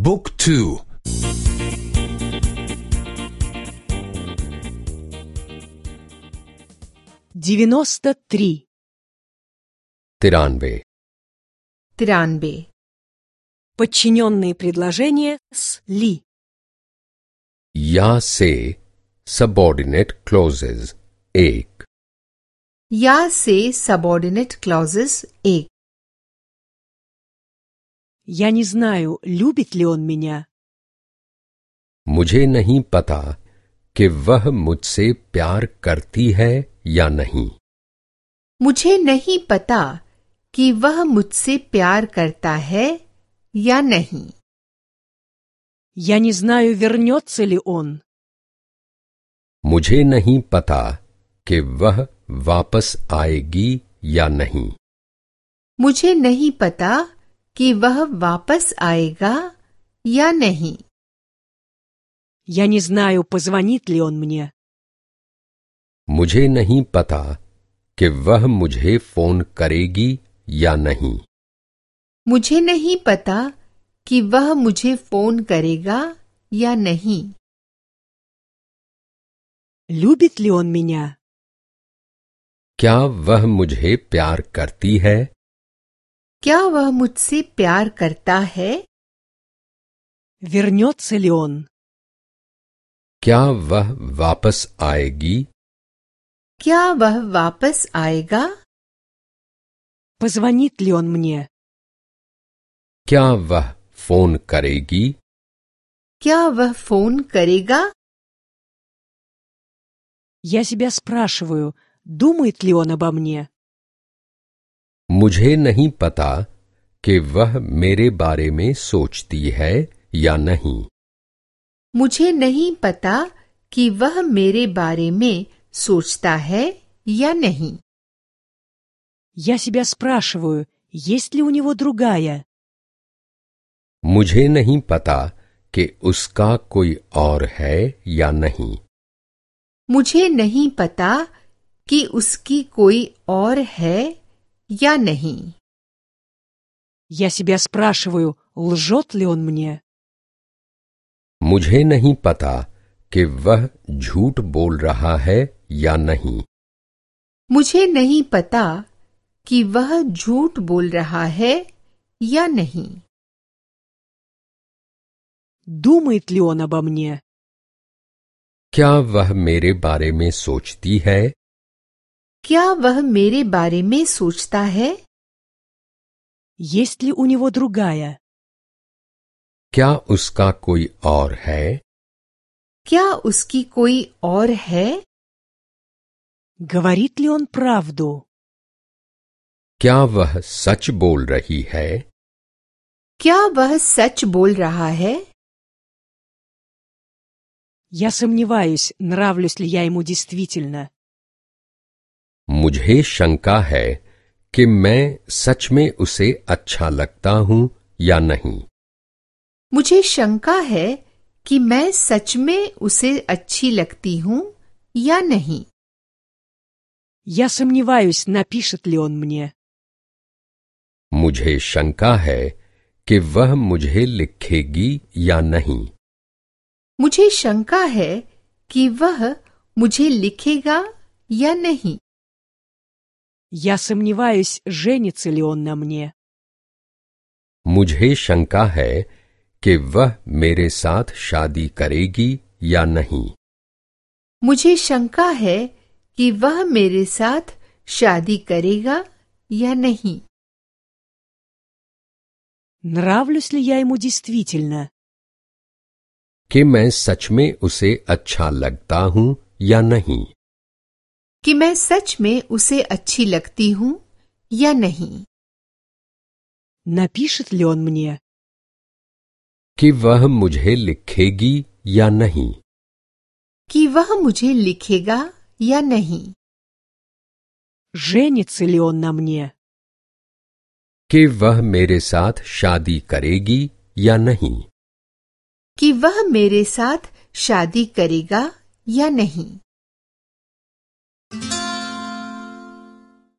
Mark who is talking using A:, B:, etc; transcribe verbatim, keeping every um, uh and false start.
A: Book two.
B: девяносто три.
C: तिरानवे
D: तिरानवे
B: Подчиненные предложения с ли.
C: या से सबऑर्डिनेट क्लोजेस एक
D: या से सबऑर्डिनेट क्लॉजेस एक
B: Я не знаю, любит ли он меня.
C: मुझे नहीं पता कि वह मुझसे प्यार करती है या नहीं।
D: मुझे नहीं पता कि वह मुझसे प्यार करता है या नहीं।
B: Я не знаю, вернется ли он.
C: मुझे नहीं पता कि वह वापस आएगी या नहीं।
D: मुझे नहीं पता कि वह वापस आएगा या नहीं।
B: Я не знаю, позвонит ли он мне.
C: मुझे नहीं पता कि वह मुझे फोन करेगी या नहीं।
D: मुझे नहीं पता कि वह मुझे फोन करेगा या नहीं।
B: Любит ли он меня?
C: क्या वह मुझे प्यार करती है?
D: क्या वह मुझसे प्यार करता है?
B: Вернется ли он?
C: क्या वह वापस आएगी?
D: क्या वह वापस आएगा?
B: Позвонит ли он мне?
C: क्या वह फोन करेगी?
D: क्या वह फोन करेगा?
B: Я себя спрашиваю, думает ли он обо мне.
C: मुझे नहीं पता कि वह मेरे बारे में सोचती है या नहीं।
D: मुझे नहीं पता कि वह मेरे बारे में सोचता है या नहीं।
B: Я себя спрашиваю, есть ли у него другая.
C: मुझे नहीं पता कि उसका कोई और है या नहीं।
D: मुझे नहीं पता कि उसकी कोई और है या नहीं।
B: Я себя спрашиваю, лжет ли он мне.
C: मुझे नहीं पता कि वह झूठ बोल रहा है या नहीं।
D: मुझे नहीं पता कि वह झूठ बोल रहा है या नहीं।
B: Думает ли он обо мне.
C: क्या वह मेरे बारे में सोचती है?
D: क्या वह मेरे बारे में सोचता है?
B: Есть ли у него другая.
C: क्या उसका कोई और है?
D: क्या उसकी कोई और है?
B: Говорит ли он правду.
C: क्या वह सच बोल रही है?
D: क्या वह सच बोल रहा है?
B: Я сомневаюсь, нравлюсь ли я ему действительно.
C: मुझे शंका है कि मैं सच में उसे अच्छा लगता हूं या नहीं।
D: मुझे शंका है कि मैं सच में उसे अच्छी लगती हूँ या नहीं।
B: Я сомневаюсь, напишет ли он мне.
C: मुझे शंका है कि वह मुझे लिखेगी या नहीं।
D: मुझे शंका है कि वह मुझे लिखेगा या नहीं।
B: Я сомневаюсь, женится ли он на мне.
C: मुझे शंका है कि वह मेरे साथ शादी करेगी या नहीं।
D: मुझे शंका है कि वह मेरे साथ शादी करेगा या नहीं।
B: Нравлюсь ли я ему действительно.
C: कि मैं सच में उसे अच्छा लगता हूं या नहीं।
D: कि मैं सच में उसे अच्छी लगती हूँ या नहीं।
B: Напишет ли он мне.
C: कि वह मुझे लिखेगी या नहीं।
D: कि वह मुझे लिखेगा या नहीं।
B: Женится ли он на мне.
C: कि वह मेरे साथ शादी करेगी या नहीं।
D: कि वह मेरे साथ शादी करेगा या नहीं।